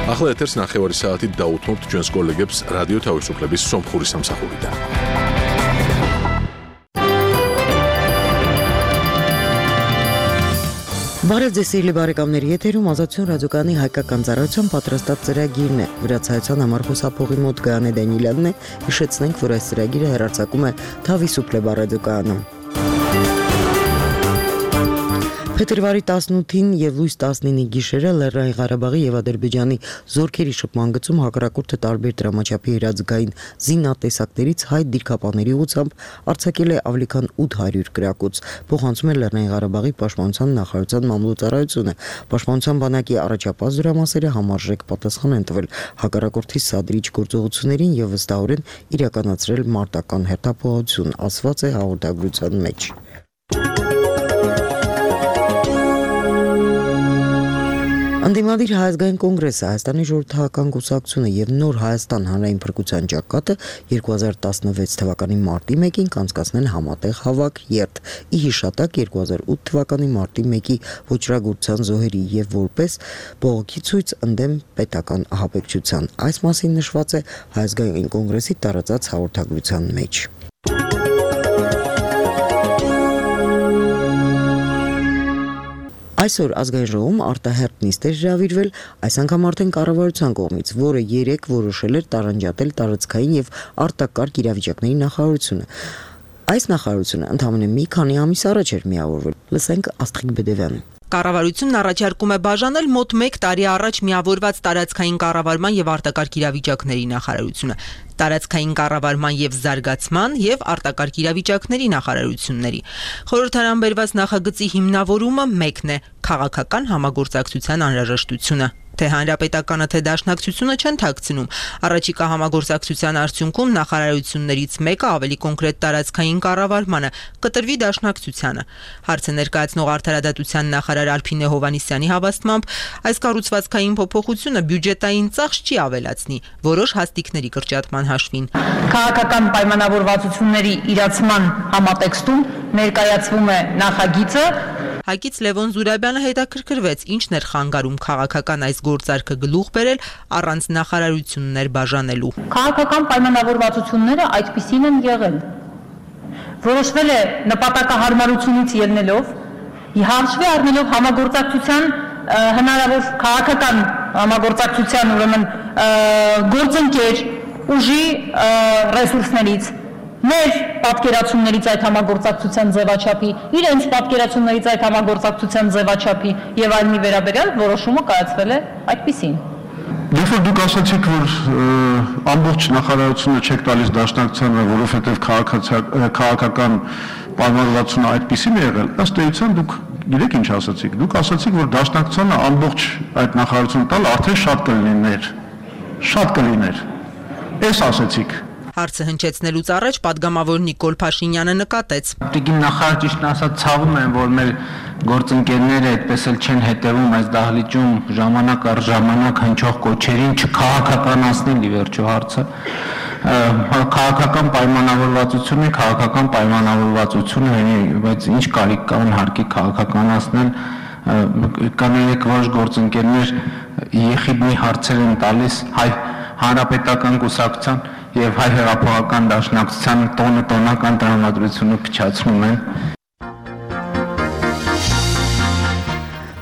ახლა ეთერს ნახევარი საათით დაუთმობთ ჩვენს კოლეგებს რადიო თავისუფლების სომხური სამსახურიდან. Բարև ձեզ սիրելի բարեկամներ, եթերում Ազատություն ռադիոկայանի հայկական ծառայության պատրաստած ծրագիրն է։ Վրացայցան համար խոսափողի մոտ Գայանե Դանիելյանն է։ Հիշեցնենք, որ այս ծրագիրը հեռարձակում է Թավիսուպլե ռադիոկայանում։ Փետրվարի 18-ին եւ լույս 19-ի գիշերը Լեռնային Ղարաբաղի եւ Ադրբեջանի զորքերի շփման գծում հակառակորդը տարբեր դրամաչափի իրազգային զինատեսակներից հայ դիրքապաների ուղղությամբ արձակել է ավելի քան 800 գրակոց։ Փոխանցում է Լեռնային Ղարաբաղի պաշտպանության նախարարության մամլոյցարայությունը։ Պաշտպանության բանակի առաջապահ զորամասերը համարժեք պատասխան են տվել հակառակորդի սադրիչ գործողություններին եւ վստահորեն իրականացրել մարտական հերթապահություն, ասված է հաղորդագրության մեջ։ Անդիմադիր Հայազգային կոնգրեսը Հայաստանի ժողովրդական կուսակցությունը եւ Նոր Հայաստան հանրային փրկության ճակատը 2016 թվականի մարտի 1-ին կանցկացնել համատեղ հավաք երթ ի հիշատակ 2008 թվականի մարտի 1-ի ոչրագործության զոհերի եւ որպես բողոքի ցույց ընդդեմ պետական ահաբեկչության։ Այս մասին նշված է Հայազգային կոնգրեսի տարածած հաղորդագրության մեջ։ Այսօր ազգային ժողովում արտահերթ նիստ էր հրավիրվել, այս անգամ արդեն կառավարության կողմից, որը երեկ որոշել էր տարանջատել տարածքային եւ արտակարգ իրավիճակների նախարարությունը։ Այս նախարարությունը ընդամենը մի քանի ամիս առաջ էր միավորվել։ Լսենք Աստղիկ Բեդևյանին։ Կառավարությունն առաջարկում է բաժանել մոտ 1 տարի առաջ միավորված տարածքային կառավարման եւ արտակարգ իրավիճակների նախարարությունը, տարածքային կառավարման եւ զարգացման եւ արտակարգ իրավիճակների նախարարությունների։ Խորհրդարան բերված նախագծի հիմնավորումը մեկն է՝ քաղաքական համագործակցության անհրաժեշտությունը։ Թե հանրապետականը, թե դաշնակցությունը չեն թաքցնում։ Առաջիկա համագործակցության արդյունքում նախարարություններից մեկը ավելի կոնկրետ տարածքային կառավարմանը կտրվի դաշնակցությանը։ Հարցը ներկայացնող արդարադատության նախարար Ալփինե Հովհաննիսյանի հավաստմամբ այս կառուցվածքային փոփոխությունը բյուջետային ծախս չի ավելացնի որոշ հաստիկների կրճատման հաշվին։ Քաղաքական պայմանավորվածությունների իրացման համատեքստում ներկայացվում է նախագիծը։ Հայկից Լևոն Զուրաբյանը հետաքրքրվեց, ինչն էր խանգարում քաղաքական այս գործարքը գլուխ բերել առանց նախարարություններ բաժանելու։ Քաղաքական պայմանավորվածությունները այդպիսին են եղել։ Որոշվել է նպատակահարմարությունից ելնելով, հաշվի առնելով համագործակցության հնարավոր քաղաքական համագործակցության ուրեմն գործընկեր ուժի ռեսուրսներից մեր պատկերացումներից այդ համագործակցության ձևաչափի, իրենց պատկերացումներից այդ համագործակցության ձևաչափի եւ այլնի վերաբերյալ որոշումը կայացվել է այդպիսին։ Երբ որ դուք ասացիք, որ ամբողջ նախարարությունը չեք տալիս դաշնակցությանը, որովհետեւ քաղաքական պայմանավորվածությունը այդպիսին է եղել, ըստ էության դուք գիտեք ինչ ասացիք։ Դուք ասացիք, որ դաշնակցությանը ամբողջ այդ նախարարությունը տալ արդեն շատ կլիներ։ Էս ասացիք։ Հարցը հնչեցնելուց առաջ падգամավոր Նիկոլ Փաշինյանը նկատեց. Տիկին նախարար ճիշտ ասած ցավում են, որ մեր գործընկերները այդպես էլ չեն հետևում այս դահլիճում ժամանակ առ ժամանակ հնչող կոչերին չքաղաքականացնեն ի վերջո հարցը։ Քաղաքական պայմանավորվածություն է, բայց ինչ կարիք կա հարկի քաղաքականացնել, կանենք որոշ գործընկերներ եղիդնի հարցեր են տալիս հայ հանրապետական կուսակցության եւ հայ հեղափոխական դաշնակցության տոնական տրամադրությունը փչացնում են։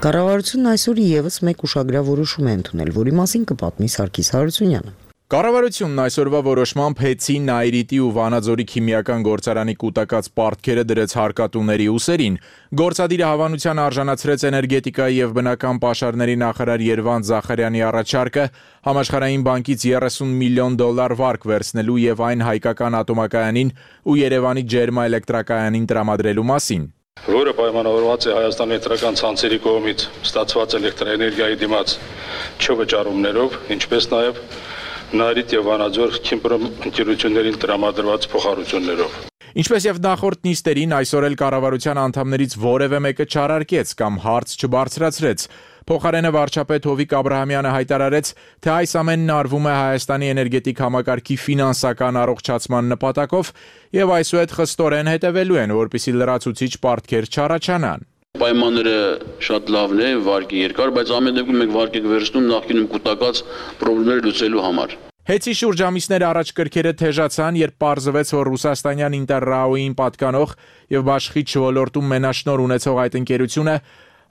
Կառավարությունն այսօր եւս մեկ ուշագրավորություն է ընդունել, որի մասին կպատմի Սարգիս Հարությունյանը։ Կառավարությունն այսօրվա որոշմամբ Հեցի, Նայրիտի ու Վանաձորի քիմիական գործարանի կուտակած պարտքերը դրեց հարկատուների ուսերին։ Գործադիրը հավանության արժանացրեց էներգետիկայի եւ բնական պաշարների նախարար Երվանդ Զախարյանի առաջարկը Համաշխարհային բանկից $30 միլիոն վարկ վերցնելու եւ այն հայկական ատոմակայանին ու Երևանի ջերմաէլեկտրակայանին տրամադրելու մասին։ Որը պայմանավորված է Հայաստանի էլեկտրական ցանցերի կողմից ստացված էլեկտրաէներգիայի դիմաց չվճարումներով, ինչպես նաեւ Նայրիտ եւ Վանաձոր քիմիական ընկերություններին տրամադրված փոխառություններով։ Ինչպես եւ նախորդ նիստերին, այսօր էլ կառավարության անդամներից որևէ մեկը չարարկեց կամ հարց չբարձրացրեց։ Փոխարենը վարչապետ Հովիկ Աբրահամյանը հայտարարեց, թե այս ամենն արվում է Հայաստանի էներգետիկ համակարգի ֆինանսական առողջացման նպատակով եւ այսուհետ խստորեն հետևելու են, որպեսզի լրացուցիչ պարտքեր չառաջանան։ պայմանները շատ լավն է, վարկի երկար, բայց ամեն դեպքում մենք վարկի վերցնում նախկինում կուտակած խնդիրները լուծելու համար։ Հեծի շուրջ ամիսներ առաջ կրքերը թեժացան, երբ պարզվեց, որ ռուսաստանյան Ինտերրաոյին պատկանող եւ բաշխիչ ոլորտում մենաշնոր ունեցող այդ ընկերությունը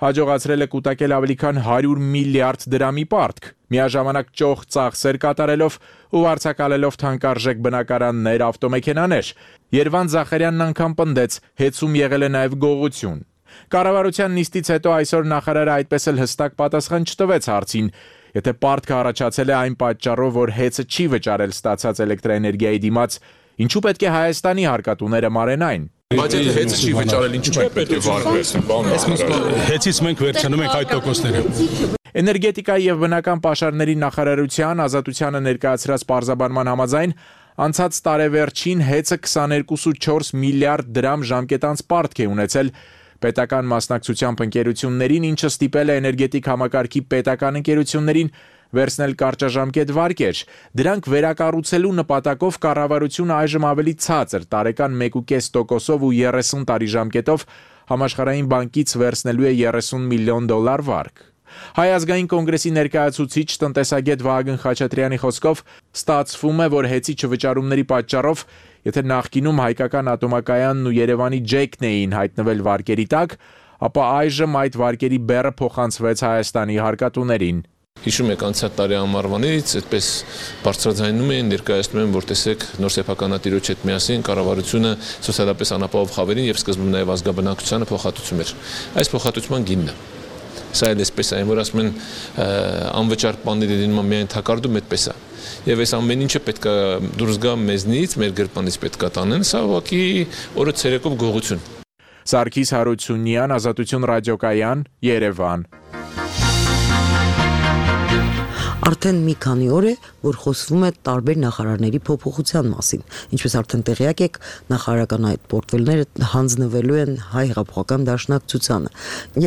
հաջողացրել է կուտակել ավելի քան 100 միլիարդ դրամի պարտք, միաժամանակ ճոխ ծախսեր կատարելով ու վարձակալելով թանկարժեք բնակարաններ, ավտոմեքենաներ։ Երվան Զախարյանն անգամ պնդեց, հեծում եղել է նաև գողություն։ Կառավարության նիստից հետո այսօր նախարարը այդպես էլ հստակ պատասխան չտվեց հարցին, եթե պարտքը առաջացել է այն պատճառով, որ հեծը չի վճարել ստացած էլեկտրաէներգիայի դիմաց, ինչու պետք է Հայաստանի հարկատուները մարեն այն։ Բայց եթե հեծը չի վճարել, ինչու պետք է վարկվեն։ Հեծից մենք վերցնում ենք այդ տոկոսները։ Էներգետիկայի եւ բնական պաշարների նախարարության Ազատությանը ներկայացրած պարզաբանման համաձայն անցած տարեվերջին հեծը 22.4 միլիարդ դրամ ժամկետանց պարտք է ունեցել պետական մասնակցությամբ ընկերություններին, ինչը ստիպել է էներգետիկ համակարգի պետական ընկերություններին վերցնել կարճաժամկետ վարկեր։ Դրանք վերակառուցելու նպատակով կառավարությունը այժմ ավելի ցածր տարեկան 1.5%-ով ու 30 տարի ժամկետով Համաշխարհային բանկից վերցնելու է $30 միլիոն վարկ։ Հայ ազգային կոնգրեսի ներկայացուցիչ տնտեսագետ Վահագն Խաչատրյանի խոսքով ստացվում է, որ հեծի չվճարումների պատճառով, եթե նախկինում հայկական ատոմակայանն ու Երևանի ջեքն էին հայտնվել վարկերի տակ, ապա այժմ այդ վարկերի բեռը փոխանցվեց Հայաստանի հարկատուներին։ Հիշում եք անցյալ տարի ամառվանից այդպես բարձրաձայնում էին, ներկայացնում են, որ տեսեք նոր սեփականատիրոջ հետ միասին կառավարությունը սոցիալապես անապահով խավերին եւ սկզբում նաեւ ազգաբնակչությանը փոխհատուցում էր։ Այս փոխհատուցման գինն է։ Սա էլ էսպես է, որ ասում են անվճար բաների դիմաց միայն թակարդում այդպես է։ Եվ այս ամեն ինչը պետք է դուրս գա մեզնից, մեր գրպանից պետք է տանեն, սա ուղղակի օրը ցերեկով գողություն։ Սարգիս Հարությունյան, Ազատություն ռադիոկայան, Երևան։ Արդեն մի քանի օր է, որ խոսվում է տարբեր նախարարների փոփոխության մասին։ Ինչպես արդեն տեղյակ եք, նախարարական այդ պորտֆելները հանձնվելու են Հայ հեղափոխական դաշնակցությանը։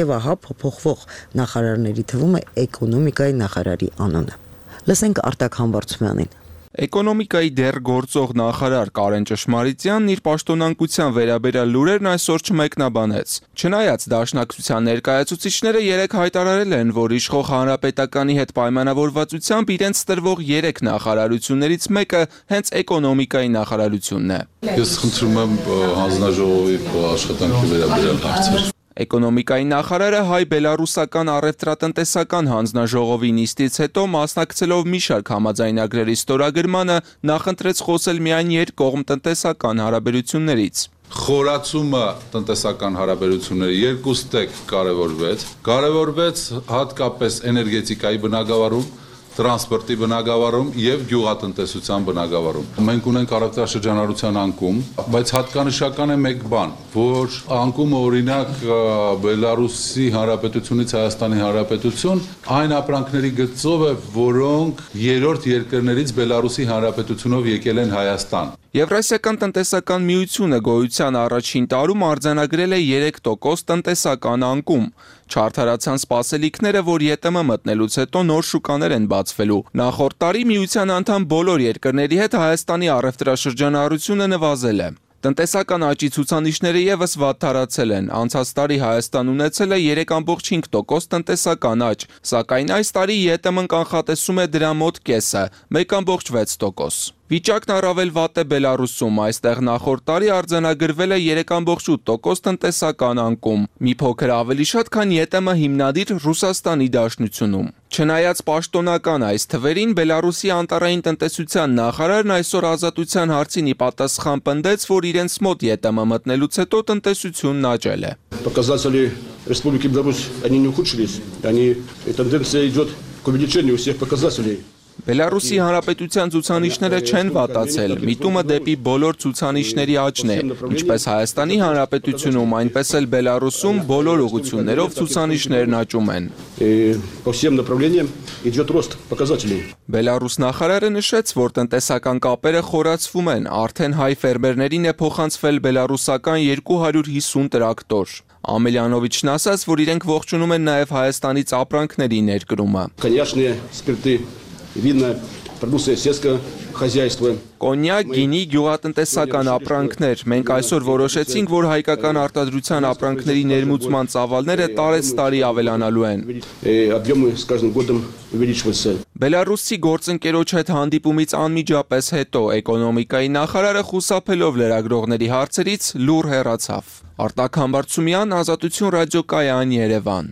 Եվ ահա փոփոխվող նախարարների թվում է էկոնոմիկայի նախարարի անունը։ Լսենք Արտակ Համբարձումյանին։ Էկոնոմիկայի դեռ գործող նախարար Կարեն Ճշմարիտյանն իր պաշտոնանկության վերաբերյալ լուրերն այսօր չմեկնաբանեց։ Չնայած դաշնակցության ներկայացուցիչները երեկ հայտարարել են, որ իշխող հանրապետականի հետ պայմանավորվածությամբ իրենց տրվող 3 նախարարություններից մեկը հենց էկոնոմիկայի նախարարությունն է։ Ես խնդրում եմ հանձնաժողովի աշխատանքի վերաբերյալ հարցեր։ Էկոնոմիկայի նախարարը հայ-բելարուսական առևտրատնտեսական հանձնաժողովի նիստից հետո մասնակցելով մի շարք համաձայնագրերի ստորագրմանը նախընտրեց խոսել միայն երկկողմ տնտեսական հարաբերություններից։ Խորացումը տնտեսական հարաբերությունների երկու ստեկ կարևորվեց հատկապես էներգետիկայի բնագավառում, տրանսպորտի բնագավառում եւ գյուղատնտեսության բնագավառում։ Մենք ունենք առևտրաշրջանառության անկում, բայց հատկանշական է մեկ բան, որ անկումը օրինակ Բելարուսի Հանրապետությունից Հայաստանի Հանրապետություն այն ապրանքների գծով է, որոնք երրորդ երկրներից Բելարուսի Հանրապետությունով եկել են Հայաստան։ Եվրասիական տնտեսական միությունը գոյության առաջին տարում արձանագրել է 3% տնտեսական անկում։ Չարդարացան սպասելիքները, որ ԵՏՄ մտնելուց հետո նոր շուկաներ են բացվելու։ Նախորդ տարի միության անդամ բոլոր երկրների հետ Հայաստանի առևտրաշրջանառությունը նվազել է։ Տնտեսական աճի ցուցանիշները եւս վատթարացել են։ Անցած տարի Հայաստան ունեցել է 3.5% տնտեսական աճ, սակայն այս տարի ԵՏՄ-ն կանխատեսում է դրա մոտ կեսը՝ 1.6%։ Վիճակն առավել վատ է Բելարուսում, այստեղ նախորդ տարի արձանագրվել է 3.8% տնտեսական անկում, մի փոքր ավելի շատ, քան ԵՏՄ հիմնադիր Ռուսաստանի Դաշնությունում։ Չնայած պաշտոնական այս թվերին, Բելարուսի անտառային տնտեսության նախարարն այսօր Ազատության հարցին ի պատասխան պնդեց, որ իրենց մոտ ԵՏՄ մտնելուց հետո տնտեսությունն աճել է։ Показатели Республики Беларусь, они не ухудшились, тенденция идет к увеличению всех показателей. Բելարուսի հանրապետության ցուցանիշները չեն վատացել, միտումը դեպի բոլոր ցուցանիշների աճն է, ինչպես Հայաստանի Հանրապետությունում, այնպես էլ Բելարուսում բոլոր ուղղություններով ցուցանիշներն աճում են։ Բելարուս նախարարը նշեց, որ տնտեսական կապերը խորացվում են, արդեն հայ ֆերմերներին է փոխանցվել բելարուսական 250 տրակտոր։ Ամելյանովիչն ասաց, որ իրենք ողջունում են նաև Հայաստանից ապրանքների ներկրումը։ Винно, продукция сельского хозяйства. Կոնյակ, գինի, գյուղատնտեսական ապրանքներ։ Մենք այսօր որոշեցինք, որ հայկական արտադրության ապրանքների ներմուծման ծավալները տարեցտարի ավելանալու են։ Объемы с каждым годом увеличиваются. Բելարուսի գործընկերոջ հետ հանդիպումից անմիջապես հետո էկոնոմիկայի նախարարը խուսափելով լրագրողների հարցերից լուռ հեռացավ։ Արտակ Համբարձումյան, Ազատություն ռադիոկայան, Երևան։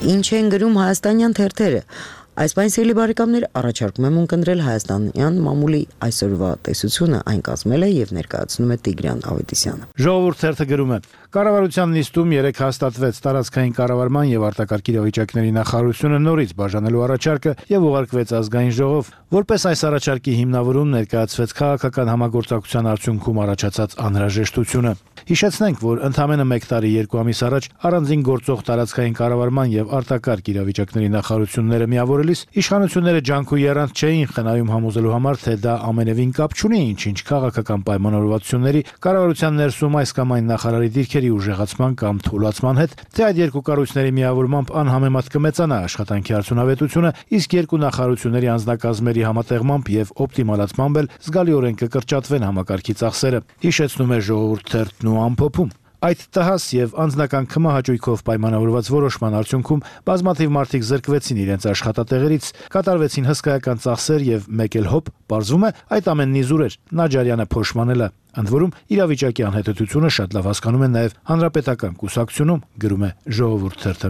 Ինչ են գրում հայաստանյան թերթերը։ Այսպես սիրելի բարեկամներ, առաջարկում եմ ունկնդրել հայաստանյան մամուլի այսօրվա տեսությունը, այն կազմել է եւ ներկայացնում է Տիգրան Ավետիսյանը։ Ժողովուրդ թերթը գրում է. Կառավարության նիստում 3 հաստատվեց տարածքային կառավարման եւ արտակարգ իրավիճակների նախարարությունը նորից բաժանելու առաջարկը եւ ուղարկվեց ազգային ժողով։ Որպես այս առաջարկի հիմնավորում ներկայացվեց քաղաքական համագործակցության արդյունքում առաջացած անհրաժեշտությունը։ Հիշեցնենք, որ ընդամենը 1 տարի 2 ամիս առաջ առանձին գործող տարածքային կառավարման եւ արտակարգ իրավիճակների նախարարությունները միավորելիս իշխանությունները ջանք ու եռանդ չէին խնայում համոզելու համար, թե դա ամենևին կապ չունի ինչ-ինչ քաղաքական պայմանավորվածությունների, կառավարության ներսում այս կամ այն նախարարի դիրքերի ուժեղացման կամ թուլացման հետ, թե այդ երկու կառույցների միավորմամբ անհամեմատ կմեծանա աշխատանքի արդյունավետությունը, իսկ երկու նախարարությունների անձնակազմերի համատեղմամբ եւ օպտիմալացմամբ էլ զգալիորեն կկրճատվեն համակարգի ծախսերը։ Հիշեցնում է ժողովուրդ թերթն ու ամփոփում։ Այդ տհաս եւ անձնական քմահաճույքով պայմանավորված որոշման արդյունքում բազմաթիվ մարդիկ զրկվեցին իրենց աշխատատեղերից, կատարվեցին հսկայական ծախսեր եւ մեկ էլ հոբ, պարզվում է, այդ ամենն իզուր էր, Նաջարյանը փոշմանել է։ Ընդ որում իրավիճակի անհետեցությունը շատ լավ հասկանում են նաեւ հանրապետական կուսակցությունում, գրում է Ժողովուրդ թերթը։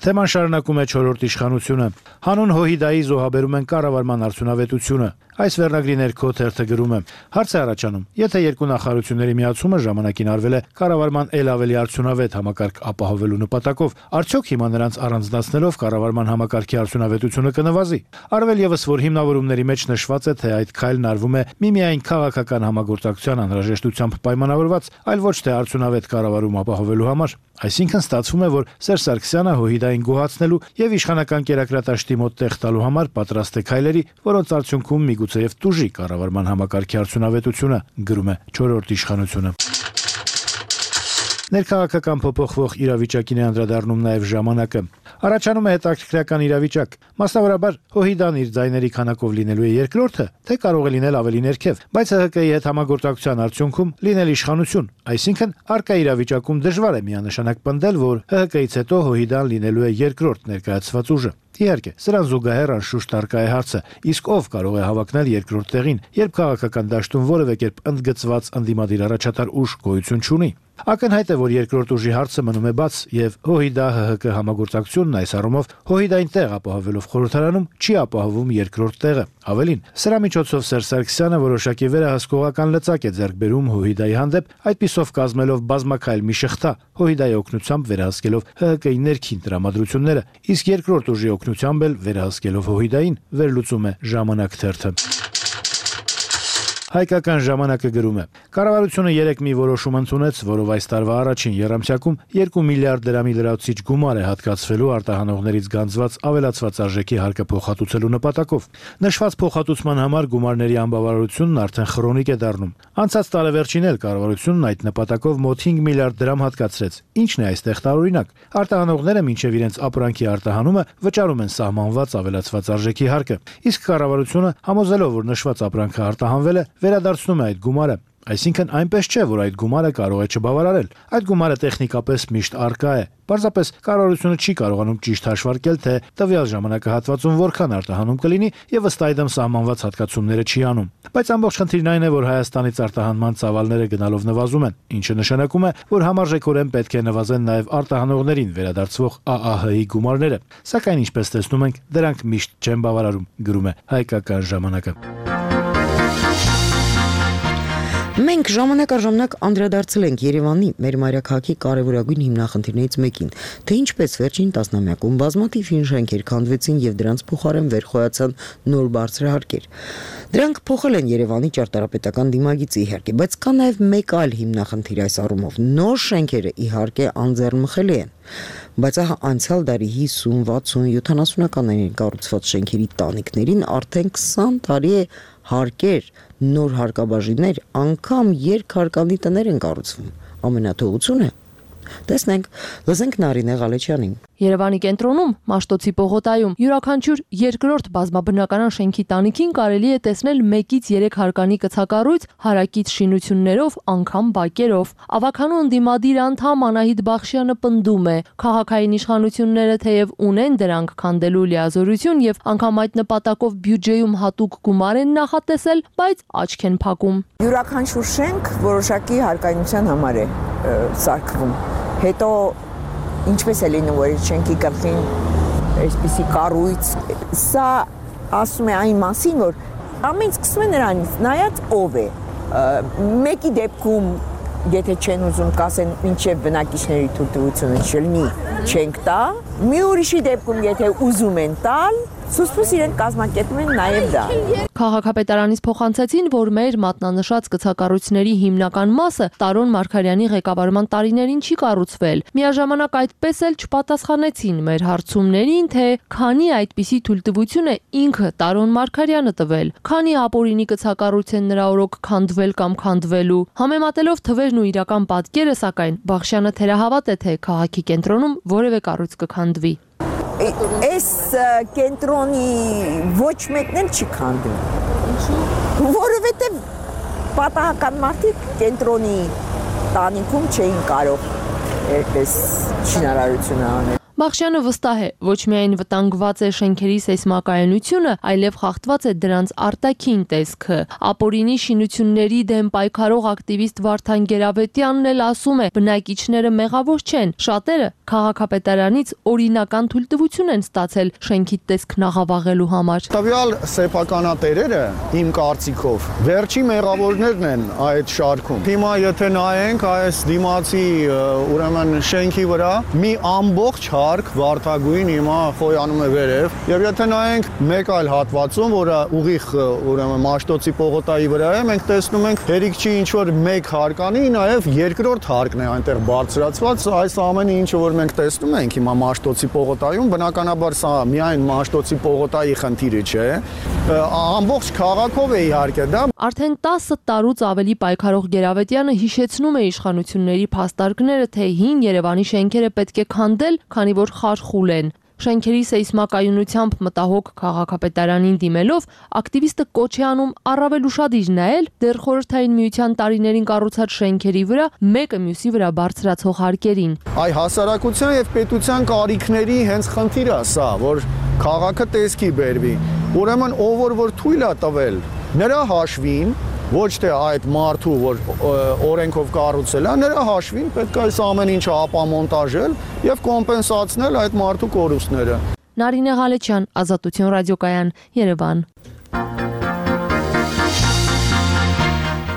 Թեման շարունակում է 4-րդ իշխանությունը։ Հանուն Հոհիդայի զոհաբերում են կառավարման արդյունավետությունը։ Այս վերնագրի ներքո թերթը գրում է. հարց է առաջանում, եթե երկու նախարարությունների միացումը ժամանակին արվել է կառավարման ել ավելի արդյունավետ համակարգ ապահովելու նպատակով, արդյոք հիմա նրանց առանձնացնելով կառավարման համակարգի արդյունավետությունը կնվազի։ Արվել եւս, որ հիմնավորումների մեջ նշված է, թե այդ քայլն արվում է միմիայն քաղաքական համագործակցության անհրաժեշտությամբ պայմանավորված, այլ ոչ թե արդյունավետ կառավարում ապահովելու համար։ Այսինքն ստացվում է, որ Սերժ Սարգսյանը Հոհիդային գոհացնելու եւ իշխանական կերակրատաշտի մոտ տեղ տալու համար պատրաստ է քայլերի, որոնց արդյունքում միգուցեև տուժի կառավարման համակարգի արդյունավետությունը, գրում է 4-րդ իշխանությունը։ Ներքաղաքական փոփոխվող իրավիճակին է անդրադառնում նաև ժամանակը։ Առաջանում է հետաքրքրական իրավիճակ։ Մասնավորաբար Հոհիդան իր ձայների քանակով լինելու է երկրորդը, թե կարող է լինել ավելի ներքև, բայց ՀՀԿ-ի հետ համագործակցության արդյունքում լինել իշխանություն։ Այսինքն առկա իրավիճակում դժվար է միանշանակ պնդել, որ ՀՀԿ-ից հետո Հոհիդան լինելու է երկրորդ ներկայացված ուժը։ Իհարկե, սրան զուգահեռ անշուշտ առկա է հարցը, իսկ ով կարող է հավակնել երկրորդ տեղին, երբ քաղաքական դաշտում որևէ կերպ ընդգծված ընդդիմադիր առաջատար ուժ գոյություն չունի։ Ակնհայտ է, որ երկրորդ ուժի հարցը մնում է բաց, եւ Հոհիդա-ՀՀԿ համագործակցությունն այս առումով Հոհիդային տեղ ապահովելով խորհրդարանում չի ապահովում երկրորդ տեղը։ Ավելին, սրա միջոցով Սերժ Սարգսյանը որոշակի վերահսկողական լծակ է ձեռք բերում Հոհիդայի հանդեպ, այդպիսով կազմելով բազմակայլ մի շղթա, Հոհիդայի օգնությամբ վերահսկելով ՀՀԿ-ի ներքին տրամադրությունները, իսկ երկրորդ ուժի օգնությամբ էլ վերահսկելով Հոհիդային, վերլուծում է Ժամանակ թերթը։ Հայկական ժամանակը գրում է. Կառավարությունը 3 մի որոշում ընդունեց, որով այս տարվա առաջին եռամսյակում 2 միլիարդ դրամի լրացուցիչ գումար է հատկացվելու արտահանողներից գանձված ավելացված արժեքի հարկը փոխհատուցելու նպատակով։ Նշված փոխհատուցման համար գումարների անբավարարությունն արդեն քրոնիկ է դառնում։ Անցած տարեվերջին էլ կառավարությունն այդ նպատակով մոտ 5 միլիարդ դրամ հատկացրեց։ Ինչն է այստեղ տարօրինակ։ Արտահանողները մինչև իրենց ապրանքի արտահանումը վճարում են սահմանված ավելացված արժեքի հարկը, իսկ կառավարությունը համոզելով, որ նշված ապրանքը արտահանվել է, վերադարձնում է այդ գումարը։ Այսինքն այնպես չէ, որ այդ գումարը կարող է չբավարարել։ Այդ գումարը տեխնիկապես միշտ առկա է։ Պարզապես կառավարությունը չի կարողանում ճիշտ հաշվարկել, թե տվյալ ժամանակահատվածում որքան արտահանում կլինի եւ ըստ այդմ սահմանված հատկացումները չի անում։ Բայց ամբողջ խնդիրն այն է, որ Հայաստանից արտահանման ծավալները գնալով նվազում են, ինչը նշանակում է, որ համարժեքորեն պետք է նվազեն նաեւ արտահանողներին վերադարձվող ԱԱՀ-ի գումարները։ Սակայն ինչպես տեսնում ենք, դրանք միշտ չեն բավարարում, գրում է Հայկական ժամանակը։ Մենք ժամանակ առ ժամանակ անդրադարձել ենք Երևանի մեր մայրաքաղաքի կարևորագույն հիմնախնդիրներից մեկին, թե ինչպես վերջին տասնամյակում բազմաթիվ հին շենքեր քանդվեցին եւ դրանց փոխարեն վերխոյացան նոր բարձրահարկեր։ Դրանք փոխել են Երևանի ճարտարապետական դիմագիծը իհարկե, բայց կա նաեւ մեկ այլ հիմնախնդիր այս առումով։ Նոր շենքերը իհարկե անձեռնմխելի են, բայց անցյալ դարի 50, 60, 70-ականներին կառուցված շենքերի տանիքներին արդեն 20 տարի է հարկեր, նոր հարկաբաժիններ, անգամ երկհարկանի տներ են կառուցվում։ Ամենաթողությունը Տեսնենք, լսենք Նարինե Ղալեչյանին։ Երևանի կենտրոնում, Մաշտոցի պողոտայում, յուրաքանչյուր երկրորդ բազմաբնականան շենքի տանիքին կարելի է տեսնել 1-ից 3 հարկանի կցակառույց հարակից շինություններով, անգամ բակերով։ Ավագանու ընդդիմադիր անդամ Անահիտ Բախշյանը պնդում է, քաղաքային իշխանությունները թեև ունեն դրանք քանդելու լիազորություն եւ անգամ այդ նպատակով բյուջեում հատուկ գումար են նախատեսել, բայց աչք են փակում։ Յուրաքանչյուր շենք որոշակի հարկայնության համար է սարքվում։ Հետո ինչպես է լինում, որ շենքի գլխին այսպիսի կառույց, սա ասում է այն մասին, որ ամեն սկսում է նրանից, նայած ով է։ Մեկի դեպքում, եթե չեն ուզում կասեն, ինչև բնակիչների թույլտվությունը չլինի, չենք տա, մի ուրիշի դեպքում, եթե ուզում են տալ, սուսպուս իրենք կազմակերպում են նաև դա։ Քաղաքապետարանից փոխանցեցին, որ մեր մատնանշած կցակառույցների հիմնական մասը Տարոն Մարգարյանի ղեկավարման տարիներին չի կառուցվել։ Միաժամանակ այդպես էլ չպատասխանեցին մեր հարցումներին, թե քանի այդպիսի թույլտվություն է ինքը Տարոն Մարգարյանը տվել, քանի ապօրինի կցակառույց են նրա օրոք քանդվել կամ քանդվելու։ Համեմատելով թվերն ու իրական պատկերը, սակայն Բախշյանը թերահավատ է, թե քաղաքի կենտրոնում որևէ կառույց կքանդվի։ Այս կենտրոնի ոչ մեկն էլ չի քանդում։ Որովհետև պատահական մարդիկ կենտրոնի տանիքում չէին կարող այդպես շինարարություն անել։ Բախշյանը վստահ է, ոչ միայն վտանգված է շենքերի սեյսմակայունությունը, այլև խախտված է դրանց արտաքին տեսքը։ Ապօրինի շինությունների դեմ պայքարող ակտիվիստ Վարդան Գերավետյանն էլ ասում է, բնակիչները մեղավոր չեն, շատերը քաղաքապետարանից օրինական թույլտվություն են ստացել շենքի տեսքն աղավաղելու համար։ Տվյալ սեփականատերերը, իմ կարծիքով, վերջի մեղավորներն են այդ շարքում։ Հիմա եթե նայենք այս դիմացի ուրեմն շենքի վրա մի ամբողջ վարդագույն հիմա խոյանում է վերև եւ եթե նայենք մեկ այլ հատվածում, որը ուղիղ ուրեմն Մաշտոցի պողոտայի վրա է, մենք տեսնում ենք հերիք չի ինչ որ մեկ հարկանի, նաեւ երկրորդ հարկն է այնտեղ բարձրացված, այս ամենը ինչը որ մենք տեսնում ենք հիմա Մաշտոցի պողոտայում, բնականաբար սա միայն Մաշտոցի պողոտայի խնդիրը չէ, ամբողջ քաղաքով է իհարկե դա։ Արդեն 10 տարուց ավելի պայքարող Գերավետյանը հիշեցնում է իշխանությունների փաստարկները, թե հին Երևանի շենքերը պետք է քանդել, քանի որ խարխուլ են։ Շենքերի սեյսմակայունությամբ մտահոգ քաղաքապետարանին դիմելով, ակտիվիստը կոչ է անում առավել ուշադիր նայել դեռ խորհրդային միության տարիներին կառուցած շենքերի վրա մեկը մյուսի վրա բարձրացող հարկերին։ Այ հասարակության եւ պետության կարիքների հենց խնդիրը սա, որ քաղաքը տեսքի բերվի։ Ուրեմն ով որ թույլ է տվել նրա հաշվին, ոչ թե այդ մարդու, որ օրենքով կառուցել է, նրա հաշվին պետք է այս ամեն ինչը ապամոնտաժել եւ կոմպենսացնել այդ մարդու կորուստները։ Նարինե Ղալեչյան, Ազատություն ռադիոկայան, Երևան։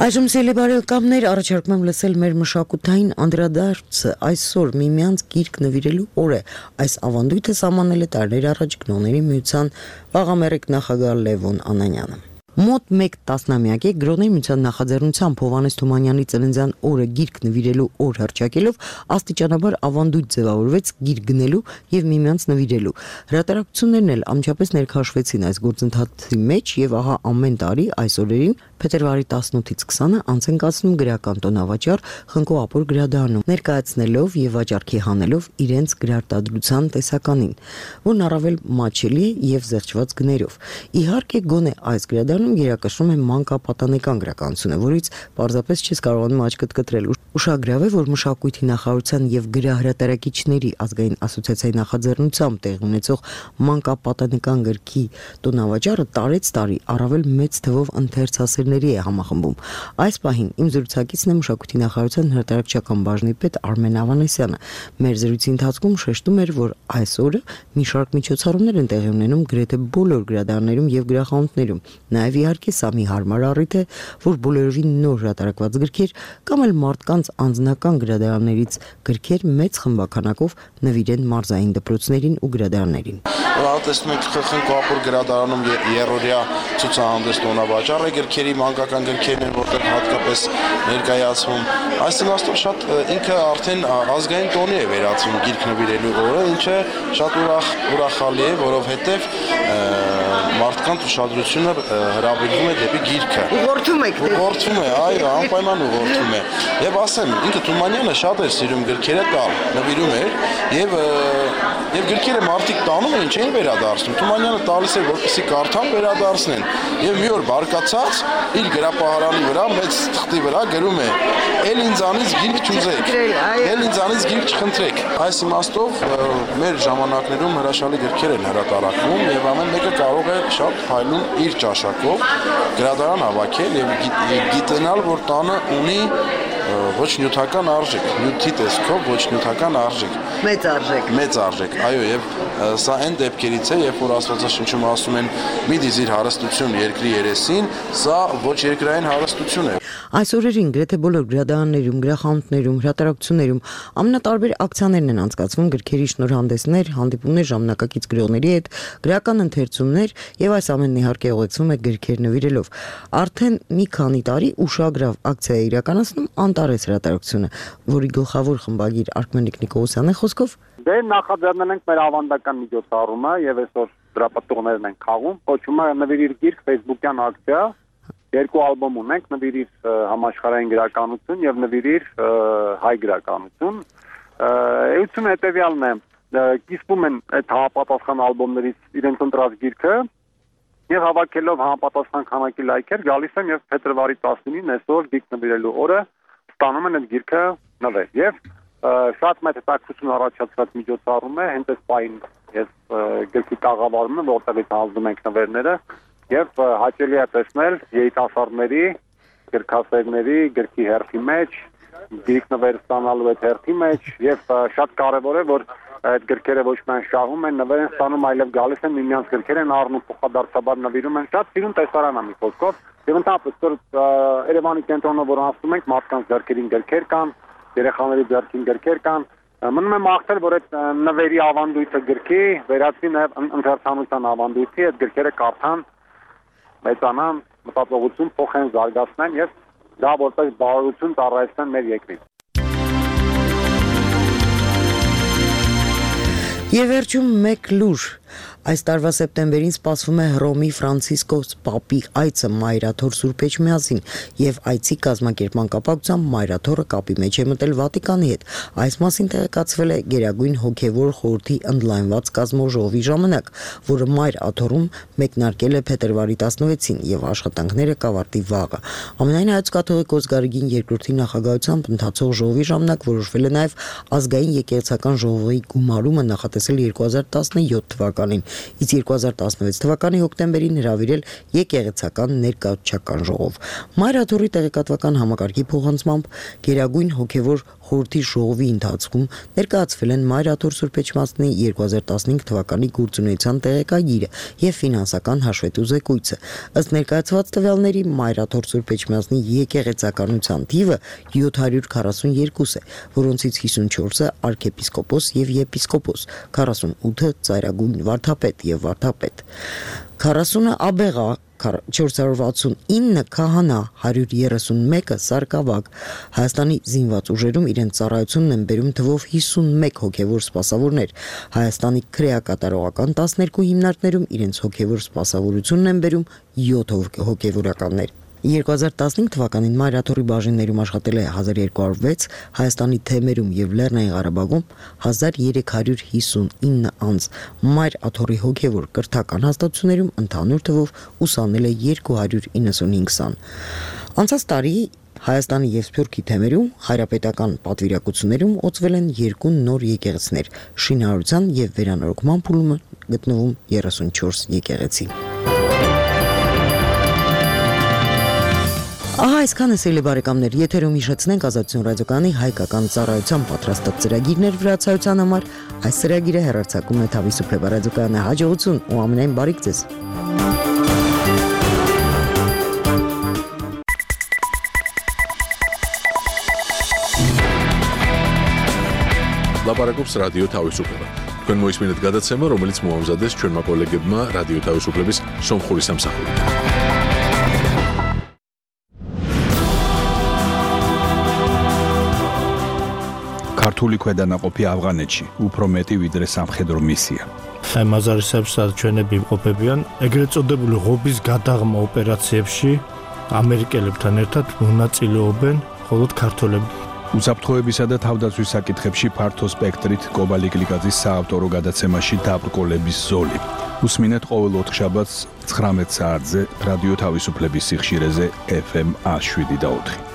Այժմ սելեբարելկամներ առաջարկում եմ լսել մեր մշակութային անդրադարձը այսօր միմյանց գիրք նվիրելու օր է։ Այս ավանդույթը սահմանել է տարիներ առաջ Գրոների միության վաղամերիկ նախագահ Լևոն Անանյանը։ Մոտ 1 տասնամյակ է Գրոների միության նախաձեռնությամբ Հովհաննես Թումանյանի ծննդյան օրը գիրք նվիրելու օր հռչակելով աստիճանաբար ավանդույթ ձևավորվեց գիրք գնելու եւ միմյանց նվիրելու։ Հրատարակություններն էլ ամչապես ներքաշվեցին այս գործընթացի մեջ եւ ահա ամեն տարի այս օրերին փետրվարի 18-ից 20-ը անց են կացնում գրական տոնավաճառ Խնկո Ապոր գրադարանում, ներկայացնելով եւ վաճառքի հանելով իրենց գրարտադրության տեսականին, որն առավել մատչելի է եւ զեղչված գներով։ Իհարկե գոնե այս գրադարանում գերակշռում է մանկապատանեկան գրականությունը, որից պարզապես չես կարողանում աչքդ կտրել։ Ուշագրավ է, որ մշակույթի նախարարության եւ գրահրատարակիչների ազգային ասոցիացիայի նախաձեռնությամբ տեղի ունեցող մանկապատանեկան գրքի տոնավաճառը տարեց տարի առավել մեծ թվով ընթերցասերների է համախմբում։ Այս պահին իմ զրուցակիցն է մշակույթի նախարարության հրատարակչական բաժնի պետ Արմեն Ավանեսյանը։ Մեր զրույցի ընթացքում շեշտում էր, որ այս օրը մի շարք միջոցառումներ են տեղի ունենում գրեթե բոլոր գրադարաններում եւ գրախանութներում։ Նաեւ իհարկե սա մի հարմար առիթ է, որ բոլորովին նոր հրատարակված գրքեր կամ էլ մարդկանց անձնական գրադարաններից գրքեր մեծ խմբականակով նվիրեն մարզային դպրոցներին ու գրադարաններին։ Տեսնում եք Խնկո Ապոր գրադարանում երրորդյա ցուցահանդես տոնավաճառ է գրքերի, մանկական գրքերն են, որտեղ հատկապես ներկայացվում։ Այս իմաստով շատ ինքը արդեն ազգային տոնի է վերածվում գիրք նվիրելու օրը, ինչը շատ ուրախալի է, որովհետև մարդկանց ուշադրությունը հրավիրվում է դեպի գիրքը։ Ուղղորդում եք։ Ուղղորդում է, այո, անպայման ուղղորդում է։ Եվ ասեմ, ինքը Թումանյանը շատ էր սիրում գրքերը տալ, նվիրում էր եւ գրքերը մարդիկ տանում էին, չէին վերադարձնում։ Թումանյանը տալիս էր, որպեսզի կարդան վերադարձնեն։ Եվ մի օր բարկացած իր գրապահարանի վրա մեծ թղթի վրա գրում է. «Էլ ինձանից գիրք չուզեք, էլ ինձանից գիրք չխնդրեք»։ Այս իմաստով մեր ժամանակներում հրաշալի գրքեր են հրատարակվում եւ ամեն մեկը կարող է շատ փայլուն իր ճաշակով գրադարան հավաքել եւ գիտենալ, որ տանը ունի ոչ նյութական արժեք, նյութի տեսքով ոչ նյութական արժեք։ Մեծ արժեք, այո, եւ սա այն դեպքերից է, երբ որ Աստվածաշնչում ասում են՝ «Մի դիզիր հարստություն երկրի երեսին», սա ոչ երկրային հարստություն է։ Այս օրերին գրեթե բոլոր գրադարաններում, գրախանութներում, հրատարակություններում ամենատարբեր ակցիաներն են անցկացվում, գրքերի շնորհանդեսներ, հանդիպումներ ժամանակակից գրողների հետ, գրական ընթերցումներ եւ այս ամենն իհարկե ուղեկցվում է գրքեր նվիրելով։ Արդեն մի քանի տարի ուշագրավ ակցիա է իրականացնում Անտարես հրատարակությունը, որի գլխավոր խմբագիր Արքմենիկ Նիկողոսյանի խոսքով Դե նախաձեռնել ենք մեր ավանդական միջոցառումը եւ այսօր դրա պատողներն են խաղում։ Կոչվում է Նվիրիր գիրք Facebook-յան ակցիա։ Երկու ալբոմ ունենք՝ Նվիրիր համաշխարհային գրականություն եւ Նվիրիր հայ գրականություն։ Էությունը հետեւյալն է. կիսվում են այդ համապատասխան ալբոմներից իրենց ընտրած գիրքը եւ հավաքելով համապատասխան քանակի լայքեր գալիս են եւ փետրվարի 19-ին այսօր գիրք նվիրելու օրը ստանում են այդ գիրքը նվեր։ Եվ շատ մեծ հետաքրքրություն առաջացած միջոցառում է, հենց այս պահին ես գրքի կաղավարում եմ, որտեղից հանձնում ենք նվերները եւ հաճելի է տեսնել երիտասարդների, գրքասերների գրքի հերթի մեջ, գիրք նվեր ստանալու այդ հերթի մեջ եւ շատ կարեւոր է, որ այդ գրքերը ոչ միայն շահում են, նվեր են ստանում, այլև գալիս են միմյանց գրքեր են առնում, փոխադարձաբար նվիրում են, շատ սիրուն տեսարան է մի խոսքով։ Եվ ընդհանրապես որ Երևանի կենտրոնով որ անցնում ենք, մարդկանց ձեռքերին գրքեր կան, երեխաների ձեռքին գրքեր կան, մնում է մաղթել, որ այդ նվերի ավանդույթը գրքի վերածվի նաև ընթերցանության ավանդույթի, այդ գրքերը կարդան, մեծանան, մտածողություն փոխեն, զարգացնեն եւ դա որպես բարօրություն ծառայեցնեն մեր երկրին։ Եվ վերջում մեկ լուր։ Այս տարվա սեպտեմբերին սպասվում է Հռոմի Ֆրանցիսկոս Պապի այցը Մայրաթոր Սուրբ Էջմիածին եւ այցի կազմակերպման կապակցությամբ Մայրաթորը կապի մեջ է մտել Վատիկանի հետ։ Այս մասին տեղեկացվել է Գերագույն հոգևոր խորհրդի ընդլայնված կազմաժողովի ժամանակ, որը Մայր Աթորում մեկնարկել է փետրվարի 16-ին եւ աշխատանքները կավարտի վաղը։ Ամենայն հայոց կաթողիկոս Գարեգին II-ի նախագահությամբ ընթացող ժողովի ժամանակ որոշվել է նաեւ ազգային եկեղեցական ժողովի գումարումը նախատեսել 2017 թվականին, իսկ 2016 թվականի հոկտեմբերին հրավիրել եկեղեցական ներկայացչական ժողով։ Մայր Աթորի տեղեկատվական համակարգի փոխանցմամբ Գերագույն հոգևոր խորհրդի ժողովի ընթացքում ներկայացվել են Մայր Աթոր Սուրբ Էջմիածնի 2015 թվականի գործունեության տեղեկագիրը եւ ֆինանսական հաշվետու զեկույցը։ Ըստ ներկայացված տվյալների Մայր Աթոր Սուրբ Էջմիածնի եկեղեցականության թիվը 742 է, որոնցից 54-ը arczepiskopos եւ եպիսկոպոս, 48-ը ծայրագույն վարդապետ եւ վարդապետ, 40-ը աբեղա, 469 քահանա, 131-ը սարկավակ։ Հայաստանի զինված ուժերում իրենց ծառայությունն են բերում թվով 51 հոգևոր սպասավորներ։ Հայաստանի քրեակատարողական 12 հիմնարկներում իրենց հոգևոր սպասավորությունն են բերում 7 հոգևորականներ։ 2015 թվականին Մայր Աթորի բաժիններում աշխատել է 1206, Հայաստանի թեմերում եւ Լեռնային Ղարաբաղում 1359 անձ։ Մայր Աթորի հոգևոր կրթական հաստատություններում ընդհանուր թվով ուսանել է 295 ան։ Անցած տարի Հայաստանի եւ Սփյուռքի թեմերում հայրապետական պատվիրակություններում օծվել են 2 նոր եկեղեցիներ, շինարարության եւ վերանորոգման փուլում գտնվում 34 եկեղեցի։ Ահա այսքանը սիրելի բարեկամներ, եթերում հիշեցնենք Ազատություն ռադիոկայանի հայկական ծառայության պատրաստած ծրագիրներ վրացայության համար։ Այս ծրագիրը հեռարձակում է Թավիսուփե ռադիոկայանի հաջողություն ու ամենայն բարիք ձեզ։ Լապարակոպս ռադիո Թավիսուփե։ Քան մոյս մինուտ գադացեմը, რომელიც մոհամզադես չորմա կոլեգբմա ռադիո Թավիսուփեբիս սոմ խորիսամ սախորի։ Քարտուլի քեդանակոպի Աфղանեչի ու Պրոմետի վիդրեսամ խեդրոմիսիա։ Մազարիսաբշտատ չենեբի օպեբյան, ეგრეთ წოდებული ღობის გადაღმა ოპერაციებში ამერიკელებთან ერთად მონაწილეობენ მხოლოდ ქართველები. უსაფრთხოებისა და თავდაცვის საკითხებში ფართო სპექტრით კობალი გლიკაძის საავტორო გადაცემაში დაბრკოლების ზოლი. უსმინეთ ყოველ 4 შაბათს 19 საათზე რადიო თავისუფლების სიხშირეზე FM 107 და 4.